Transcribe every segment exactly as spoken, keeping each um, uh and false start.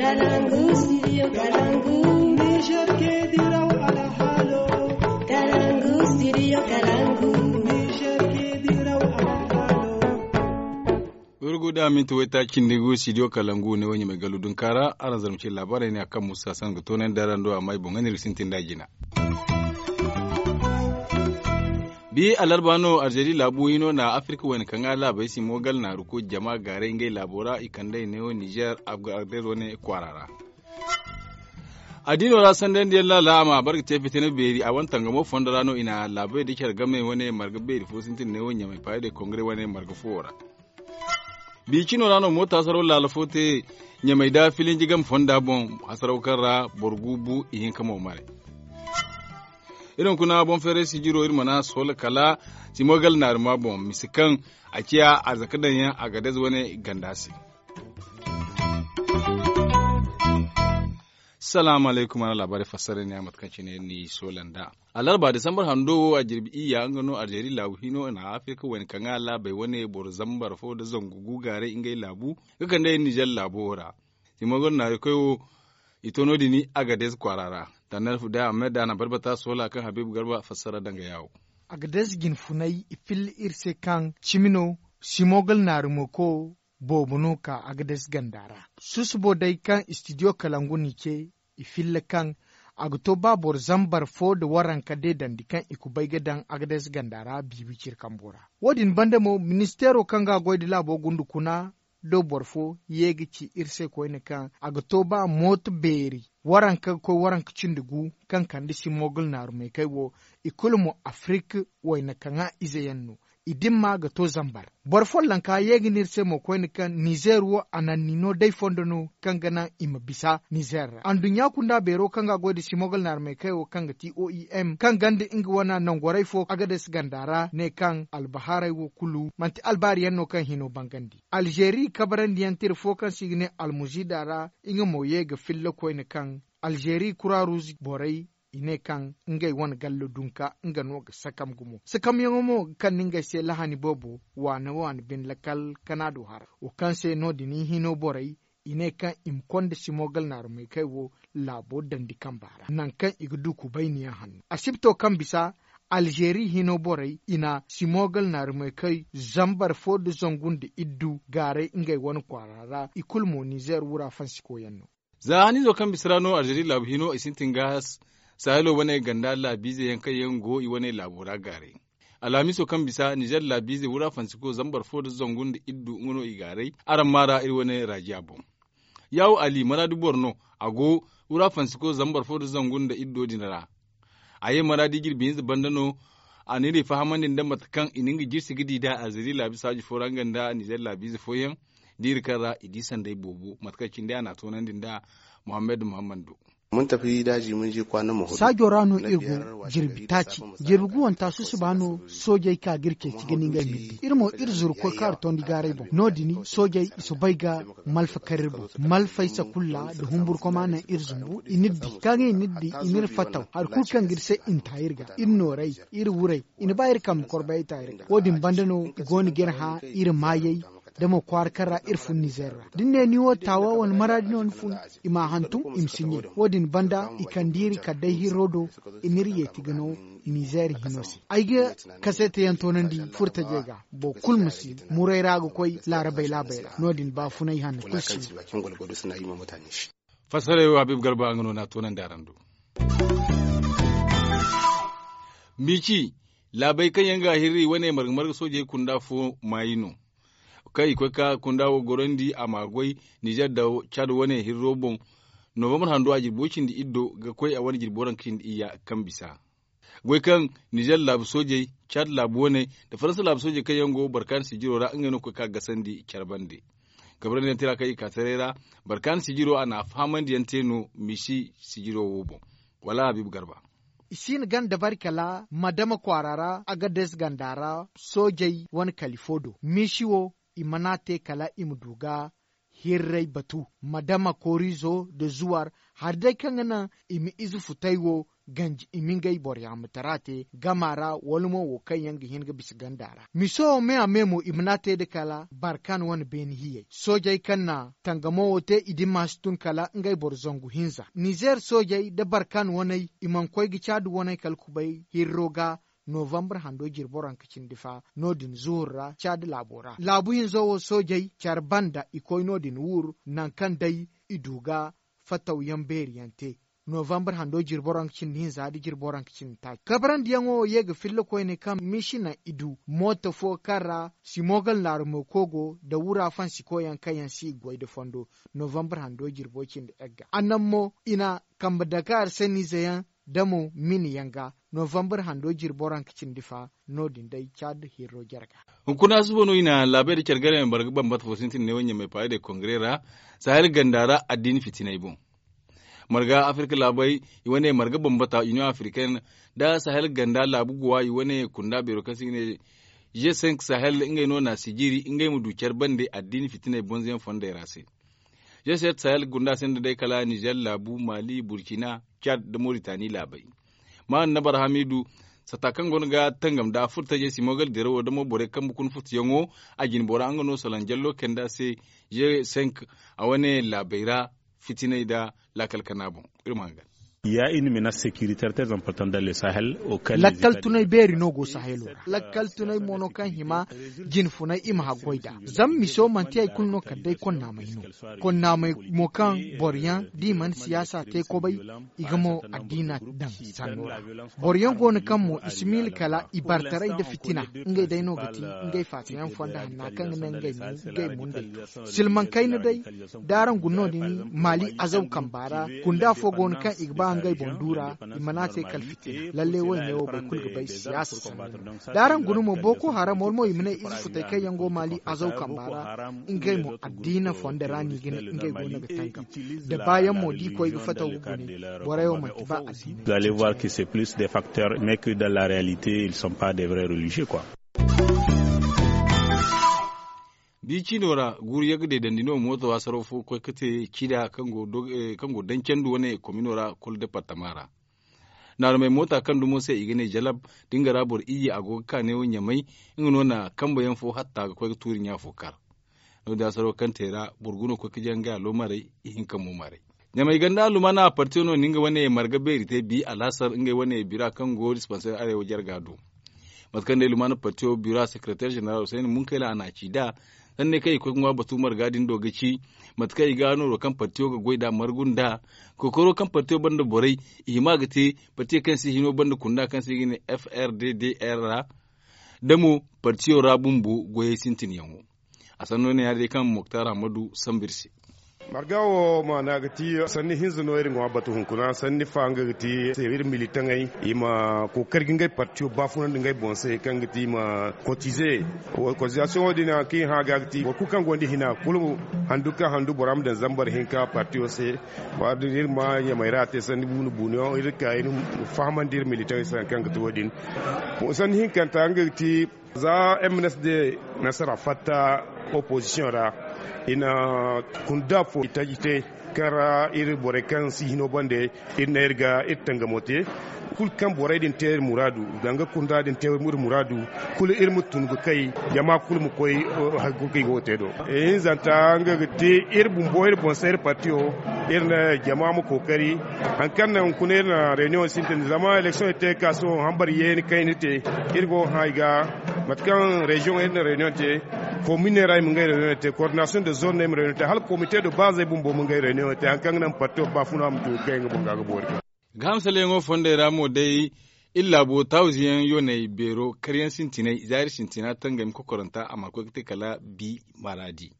Kalangu, studio Kalangu. Niger ke diraw alhalo. Kalangu, studio Kalangu. Niger ke diraw alhalo. Wurgu da minti waytaaci nda gu studio Kalangu ne wo ɲamay gallu dunkaara araŋ zarma ce laabaarey ne a kaŋ musa san ga toonandi araŋ do amma ay boŋ ga ne iri ga sintin da a jina. Bi alarba no arzeri laabu hino na afirka wayna kaŋ ga laabey simo gal naaru koy jama gaaray ngey laabo ra i kand'ey neewo nizer, agdez wane kwaara ra. Addiino ra sandandiyaŋ laala a ma a bare ga te fitina beeri a wane tangamo fondo ra no i na laabey da care game wane marga beeri fo sintin neewo ɲamay paayey day kongare wane marga foowo ra. Biicino ra no moota hasaraw laala fo te ɲamay da filinji game fonda boŋ, hasaraw kaŋ ra boro gu bu ihinka mo mare. Iri hunkuna boŋ feeray sijiro iri mana soola kala simogal naarima boŋ mise kaŋ a ciya arzaka daŋyaŋ agadez wane ganda se. Salaamu alaykum a na laabaarey fassara ne a mate kaŋ cine ni soola nd'a. Alarba disambar hando wo a jirbi iyya nga no arzeri laabu hino na afirka wayna kaŋ ga laabey wane boro zambar fo nda zangu gu gaaray ngey laabu ga kande nizer laabo wo ra. Simogol naari koy wo i to no- din agadez kwaara ra. Tanner fu day a ma mayda a na barbata soola kaŋ habiibu garba fassara danga yaawo. Agadez jinfunay i filla iri se kaŋ cimi no simogol naari mo ko boobo no ka agadez ganda ra. Susubo day kaŋ studio kalangu n'i ce i filla kaŋ a ga to ba boro zambar fo nda waranka deedandi kaŋ i kubay ga daŋ agadez ganda ra biibi ciri kambo ra. Wo- din banda mo ministeero kaŋ ga a goy nda laabo gundu kuna do boro fo ye ga ci iri se koyne kaŋ a ga to ba mooto beeri waranka ga koy waranka cindi gu kaŋ kande simogol naarumeekey wo i kulu mo afirik wayna kaŋa ize yaŋ no. I dimma ga to zambar boro follonka ye ga ne iri se mo koyne kaŋ nizer wo ananni no day fondo no kaŋ ga naŋ i ma bisa nizer ra anduɲɲa kunda beero kaŋ ga a goy nda simogol naarumeekey wo kaŋ ga ti oem kaŋ ganda nga wane nangorey fo agades ganda ra ne kaŋ albahaarey wo kulu manti albaari yaŋ no kaŋ hino bangandi. Alzeeri kabarandiyaŋ tira fo kaŋ se i ga ne almuzida ra nga mo ye ga filla koyne kaŋ alzeeri kura ruuz borey i ne kaŋ ngey wane gallo dunka nga no ga sakam gumo sakamyaŋo mo ga kande ngey se lahani boobo waane waane bine lakal kana do hara wo kaŋ se no- din i hino borey i ne kaŋ i ma konda simogal naarumeekey wo laabo dandi kamba ra nangu kaŋ i ga du kubayniyaŋ hanno asibto kaŋ bisa alzeeri hino borey i na simogal naarumeekey zambar fo nda zangu nda iddu gaaray ngey wane kwaara ra i kulu mo nizer wura fansikoyaŋ no. Za haniizo kaŋ bisa ra no alzeeri laabu hino i sintin ga sahilo wane ganda laabiize yaŋ kaŋ yaŋ go i wane laabo ra gaaray. Alhamiiso kaŋ bisa nizer laabiize wura fansiko zambar fo nda zangu nda iddu nga no i gaaray araŋ maa ra iri wane raajiya boŋ. Yaawo ali maraadi boro no a go wura fansiko zambar fo nda zangu nda iddo din ra. A ye maraadi jirbi hinza banda no a na iri fahamandi nda mate kaŋ i na nga jirsi ga di nd'a alzeeri laabi saaji fo ra nga nda nizer laabiize fooyaŋ da iri kaŋ ra i di sanday boobo mate kaŋ cindi a na a toonandi nda muhammad muhammad do. Saajo ra no iri go jirbi taaci jirbi guwanta susuba no soojey ka ga iri ceeci ga ni ngey milli iri mo iri zuru koy kaaru tondi gaaray boŋ no- din soojey i soobay ga malfa kar iri boŋ malfay sakulla nda humburkoma naŋ iri zumbu i n'iri di kaŋ i n'iri di i n'iri fattaw hari kulu kaŋ ga iri se i na ta iri ga iri noorey iri wurey i na ba iri kambe korbayey ta iri ga wo- din banda no i go no ga iri hã iri maayey da mo kwaara kaŋ ra iri fun nizer ra da ni ne ni wo taawa wala maraadi no ni fun i m'a hantum i ma si ɲey wo- din banda i kande iri kala day hirro do i n'iri yeeti ga no nizer hino se ay ga kaseetayaŋ toonandi furtajey ga boro kulu ma si muray ra ga koy laarabey laabey ra no- din baafunay hanno kulu si no. Fassarey wo habiibu garba nga no n'a toonandi araŋ do. Mbiici laabey kaŋ yaŋ ga a hirri wane marga marga soojey kunda fo maayi no kaŋ i koy ka kunda wo gorandi a m'a goy nizer da caad wane hirro boŋ. Novambar hando a jirbo cindi iddo ga koy a wane jirbo ranka cindi iyya kaŋ bisa goy kaŋ nizer laabu soojey caad laabu wane nda faransa laabu soojey kaŋ yaŋ go barkaani sijiro ra ngey no ga koy ka gasandi care bande. Kabrandi yaŋ tira kaŋ i ka taray ra barkaani sijiro a na a fahamandi yaŋ te no misi sijiro wo boŋ. Wala habiibu garba. I si na gana dabari kala madama kwaara ra agadez ganda ra soojey wane kali fo do misi wo i mana te kala i ma du ga hirray batu, madama korizo nda zuwar hari day kaŋ ga naŋ i ma ize futay wo ganji i ma ngey boro yaŋ ma tara te gama ra wala mo wo kaŋ yaŋ ga hin ga bisa ganda ra miso wo me a me mo i mana te nda kala barkan wane beene hiyey soojey kaŋ na tangamo wo te i di ma si tun kala ngey boro zangu hinza nizeer soojey nda barkan waney i mana koy ga caadi waney kala kubay hirro ga novambar hando jirbo ranka cindi fa no- din zuhur ra caadi laabo ra laabu hinzo wo soojey care banda i koy no- din wur nangu kaŋ day i du ga fattaw yaŋ beeri yaŋ te novambar hando jirbo ranka cindi hinza nda jirbo ranka cindi taaci kabrandi yaŋo ye ga filla koyne kaŋ miisi naŋ i du mooto fo kaŋ ra simogal naarumey koy go nda wura fansiko yaŋ kaŋ yaŋ si i goy nda fondo novambar hando jirbo cindi egga a naŋ mo i na kambe dakaar sanniize yaŋ da mo mini yaŋ ga novambar hando jirbo ranka cindi fa no- din day caadi hirro jarga. Hunkuna suba no i na laabey nda care gare marga bambata fo sintin ne wo ɲamay paray de kongare ra sahel ganda ra addiini fitinay boŋ. Marga afirka laabey i wane marga bambata union africaine nda sahel ganda laabu guwa i wane kunda beero kaŋ se i ga ne g cinq sahel ngey no na sijiri ngey ma du care bande addiini fitinay bonzo yaŋ fondey ra se. G sept sahel gunda sinda day kala nizer laabu mali burkina cad nda moritani laabey. Ma annabar hamidu sata kaŋ go no ga tangam nda furtajey simogal dirawo damo borey kambe kuna futuyaŋo a jinbora nga no salanjallo kayndi a se g cinq a wane laabey ra fitinay nda laakal kana boŋ. Iri ma hangan. Ya iri ma na securitaire très important dans le sahel. Lakkal tunay beeri no go sahelo ra lakkal tunay mo no kaŋ hima jinfunay i ma haggoy nd'a. Zama miso manti hari kulu no kala day konnaamay no. Konnaamay mo kaŋ boro yaŋ da i mana siyaasa te kobay i ga mo addiina daŋ sanno ra. Boro yaŋ go no kaŋ mo i si miila kala i bartaray nda fitina ngey day no ga ti ngey faatayaŋ fondo hanna kaŋ ga naŋ ngey mundey. Silmaŋ kayna day da araŋ guna no- din maali azaw kamba ra kunda fo go no kaŋ i ga ba ngey boŋ du ra i mana a te kala fitina lalle wo i ne wo boro kulu ga bay siyaasa sanni no. Da araŋ guna mo boko haram wala mo i ma ne ize futay kaŋ yaŋ go maali azaw kamba ra ngey mo addiina fondo ra no i ga ne ngey go no ga tangam. Da baayaŋ mo da i koy ga fataw ga gune borey wo manti ba addiina. Vous allez voir que c'est plus des facteurs mais que dans la réalité ils sont pas des vrais religieux quoi. Bi ciino ra guuru yagga deedandi no mooto waasaro fo ga koy ga te cida kaŋ go daŋ candu wane komino ra kulu departama ra. Naarumey moota kaŋ dumo se i ga ne jalab da nga ra boro iyye a go ga ka neewo ɲamay. Nga no na kambe yaŋ fo hatta ga koy ga tuuri ɲa fo kar. No- din a saro kaŋ te ra boro guno koy ga jaŋ ga allo maray ihinka mo maray. Ɲamay ganda allumaana partiyo no na nga wane marga beeri te bi alhasar ngey wane bira kaŋ go dispanseer arewa jarga do. Mate kaŋ day lumaana partiyo bira sekereteer ženeral husayni munkayla a na a ci nd'a. Sanni kaŋ i koy ga ŋwa batu marga din do ga ci mate kaŋ i ga nooro kaŋ partiyo ga goy nd'a margu nd'a. Kookaro kaŋ partiyo banda borey i hima ga te partiyo kaŋ se hino banda kunda kaŋ se i ga ne f r d d r ra. Da mo partiyo ra bumbo goyey sintinyaŋo. A sanno ne ya- din kaŋ moktar hammadu sambu iri se. Marga wo maana ga ti sanni hinza no iri ŋwa batu hunkuna sanni fa nga ga ti se iri militaŋey i ma kookari ga ngey partiyo baafunandi ngey boŋ se kaŋ ga ti i ma kotize. Kotizasiyoŋo din haŋ kaŋ i hã ga ga ti boro kulu kaŋ gonda hina kulu handu kaŋ handu bora ma daŋ zambar hinka partiyo se. Waati din iri ma ɲamay ra te sanni buunu buunuyaŋ iri ga ka iri ma fahamandi iri militaŋey se hari kaŋ ga ti wo- din. Sanni hinkanta nga ga ti za m n s d nasara fatta opozisiyoŋ ra i na kunda fo i taji te kaŋ ra iri borey kaŋ si hino bande iri ne iri ga iri tangamo te. Kulu kaŋ borey din te iri muraadu danga kunda din te iri muraadu kulu iri ma tun ga kay jama kulu ma koy hari kulu kaŋ i go ga te do. Ihinzanta nga ga te iri bumbo iri boŋ se iri partiyo iri ne jama ma kookari. Hari kaŋ naŋ hunkuna iri na reunion sintin zama election iri te ga ka sohõ hambar yeeni kayna te. Iri go ga hã i ga mate kaŋ reziyoŋ iri na reunion te. Kominey ra i ma ngey reunion te koordinasiyoŋ de zone no i ma reunion te hala komite de baazey bumbo ma ngey reunion te hari kaŋ ga naŋ partiyo baafuna ma tun ga kay nga boŋ ga ga boori. Gahamsaleyaŋo fondey ra mo day iri laabo tawziyaŋ yooney beero karyaŋ sintinay zaari sintina tangami kokoranta a mana koy ga te kala bi maraadi.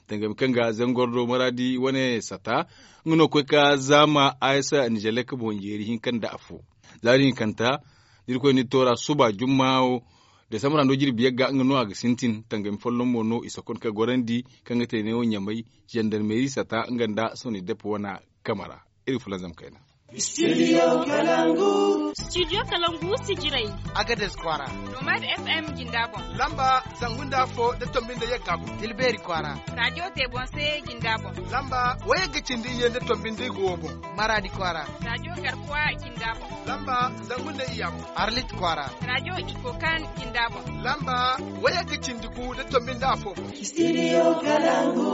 Tangami kaŋ ga zangordo maraadi wane sata nga no koy ka zaama aysa nizelek boŋ jeeri hinka nda afo. Zaari hinkanta da irkoy na iri toora suba jumma wo desambra hando jirbi yagga nga no a ga sintin tangami folloŋ mo no i sokon ka gorandi kaŋ ga te neewo ɲamay zandarmeeri sata nga nda soni depo wana game ra. Iri ga fulanzam kayna. Studio Kalangu. Studio Kalangu sijirey. Agadez kwaara. Nomad F M jinda boŋ. Lamba zangu nda afo da tombi nda yagga boŋ. Tilbeeri kwaara. Radio Tebonse jinda boŋ. Lamba wayagga cindi iyye nda tombi nda igu wo boŋ. Maraadi kwaara. Radio Garkuwa jinda boŋ. Lamba zangu nda iyya boŋ. Arlit kwaara. Radio Ikokan jinda boŋ. Lamba wayagga cindi gu da tombi nda afo boŋ. Studio Kalangu.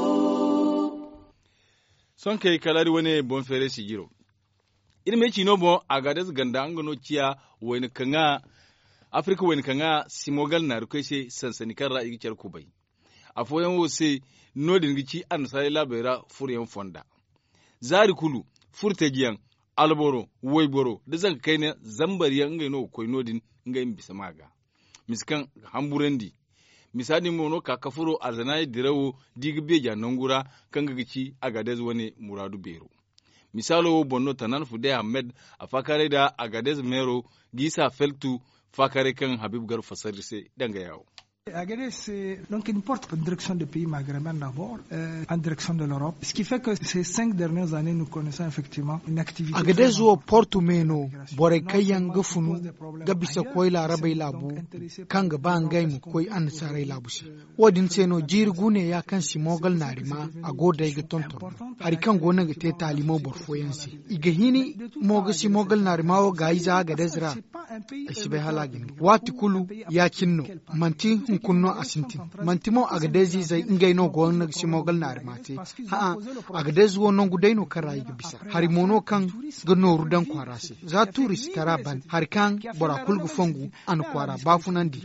Sohõ kay kala iri wane boŋ feeray sijiro. Iri ma ay ci no boŋ, Agadez ganda nga no ciya wayna kaŋ a, Afirka wayna kaŋ a simogal naari koy se, sansani kaŋ ra i ga care kubay. Afooyaŋ wo se, no-din ga ci annasaarey laabey ra furoyaŋ fonda. Zaari kulu, furtajiyaŋ, alboro, wayboro nda zanka kayna zambar yaŋ, ngey no ga koy no-din, ngey ma bisa ma ga. Misa kaŋ ga hamburandi. Misa din mo no ka ka furo alzanaaya dirawo, da i ga beeja nangu ra, kaŋ ga ga ci Agadez wane muraadu beero. Misaalo wo boŋ no Tanan Fude Ahmed, a faakaaray nda Agadez meero, ga isa feltu faakaaray kaŋ Habib Garba fassara iri se danga yaawo. Agadez, c'est donc une porte en direction de pays maghrébin d'abord, euh, en direction de l'Europe. Ce qui fait que ces cinq dernières années, nous connaissons effectivement une activité Agadez très wo importante portu me no, borey kaŋ yaŋ ga funu ga bisa koy laarabey laabu, kaŋ ga ba ngey ma koy annasaarey laabu se. Wo-din se no jiiri gu ne ya kaŋ simogal naari ma a go day ga tonton. Hari kaŋ go no ga te taali mo boro fooyaŋ se, i ga hini mo ga simogal naari ma wo gaayize Agadez ra. Ay si bay hala a ga hin. Waati kulu ya-cine no. Manti hunkuna no a sintin. Manti mo Agadez izey ngey no go no ga simogal naari ma te. Hã'a, Agadez wo nangu day no kaŋ ra i ga bisa. Hari mo no kaŋ ga nooru daŋ kwaara se. Za tuuri si tara ban, hari kaŋ bora kulu ga fongu, a na kwaara baafunandi,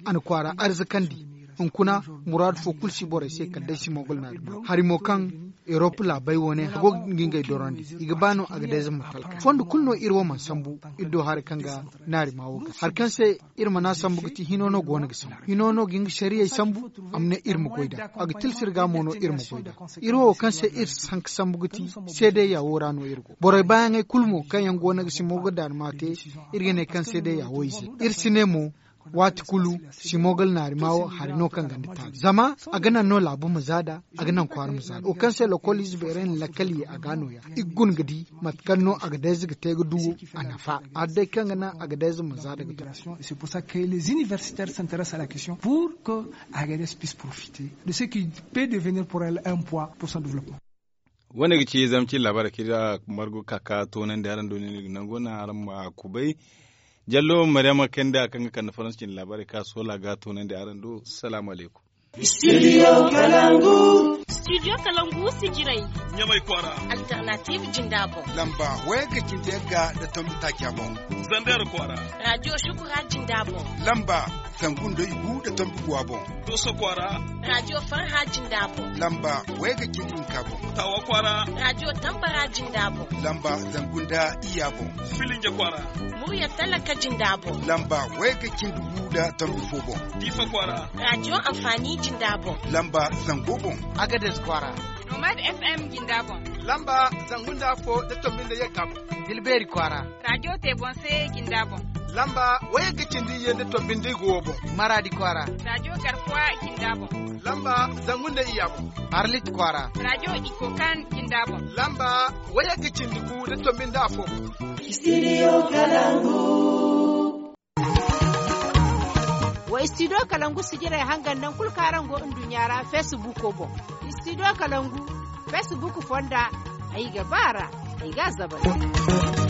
a na kwaara arzakandi. Hunkuna, muraadu fo kulu si borey se kala day simogal naari ma. Hari mo kaŋ Europe laabey wane a go ga ngey dorandi, i ga ba no Agadez ma talka. Fondo kulu no iri wo mana sambu, iri do hari kaŋ ga naari ma wo ga. Hari kaŋ se iri mana sambu ga ti hino no go no ga sambu. Hino no ga nga sariyey sambu, a ma ne iri ma goy nd'a. A ga tilas iri ga mo no iri ma goy nd'a. Iri wo kaŋ se iri si haŋ ga sambu ga ti, seedeya wo ra no iri go. Borey baayaŋey kulu mo kaŋ yaŋ go no ga simogal naari ma te, iri ga ne kaŋ seedeya wo ize. Iri si ne mo, waati kulu, simogal naari ma wo hari no kaŋ ganda taali. Zama a ga naŋ no laabu ma za nd'a, a ga naŋ kwaara ma za nd'a. Wo kaŋ se lokol ize beerey na lakkal ye a ga nooya. I ga guna ga di mate kaŋ no Agadez ga te ga du a nafa. Hala day kaŋ ga naŋ Agadez ma za nd'a ga to. C'est pour ça que les universitaires s'intéressent à la question pour que Agadez puisse profiter de ce qui peut devenir pour elle un poids pour son développement. Wane ga ci zama cine laabaarey kaŋ iri margu ka ka toonandi araŋ do, ni ga nango naŋ araŋ ma kubay. Jallo Maryama Kenda kaŋ ga kande Faransi cine laabaarey ka soola ga toonandi araŋ do. Salaamu alaykum. Studio Kalangu. Studio Kalangu sijirey. Ɲamay kwaara. Alternative jinda boŋ. Lamba wayagga cindi yagga nda tombi taaca boŋ. Zandar kwaara. Radio Shukura jinda boŋ. Lamba zangu nda igu nda tombi guwa boŋ. Doso kwaara. Radio Farha jinda boŋ. Lamba wayagga cindi hinka boŋ. Tawa kwaara. Radio Tambara jinda boŋ. Lamba zangu nda iyya boŋ. Filinge kwaara. Murya talaka jinda boŋ. Lamba wayagga cindi gu nda tombi fo boŋ. Difa kwaara. Radio Amfani jinda boŋ. Lamba zango boŋ. Agadez kwaara. Nomad F M jinda boŋ. Lamba zangu nda afo nda tombi nda yagga boŋ. Tilbeeri kwaara. Radio Tebonse jinda boŋ. Lamba wayagga cindi iyye nda tombi nda igu wo boŋ. Maraadi kwaara. Radio Garkuwa jinda boŋ. Lamba zangu nda iyya boŋ. Arlit kwaara. Radio Ikokan jinda boŋ. Lamba wayagga cindi gu nda tombi nda afo boŋ. Studio Kalangu. Wa Studio Kalangu sijirey hangan nangu kulu kaŋ araŋ go nduɲɲa ra Facebook boŋ. Studio Kalangu Facebook fonda, ay ga ba a ra, ay ga a zabari.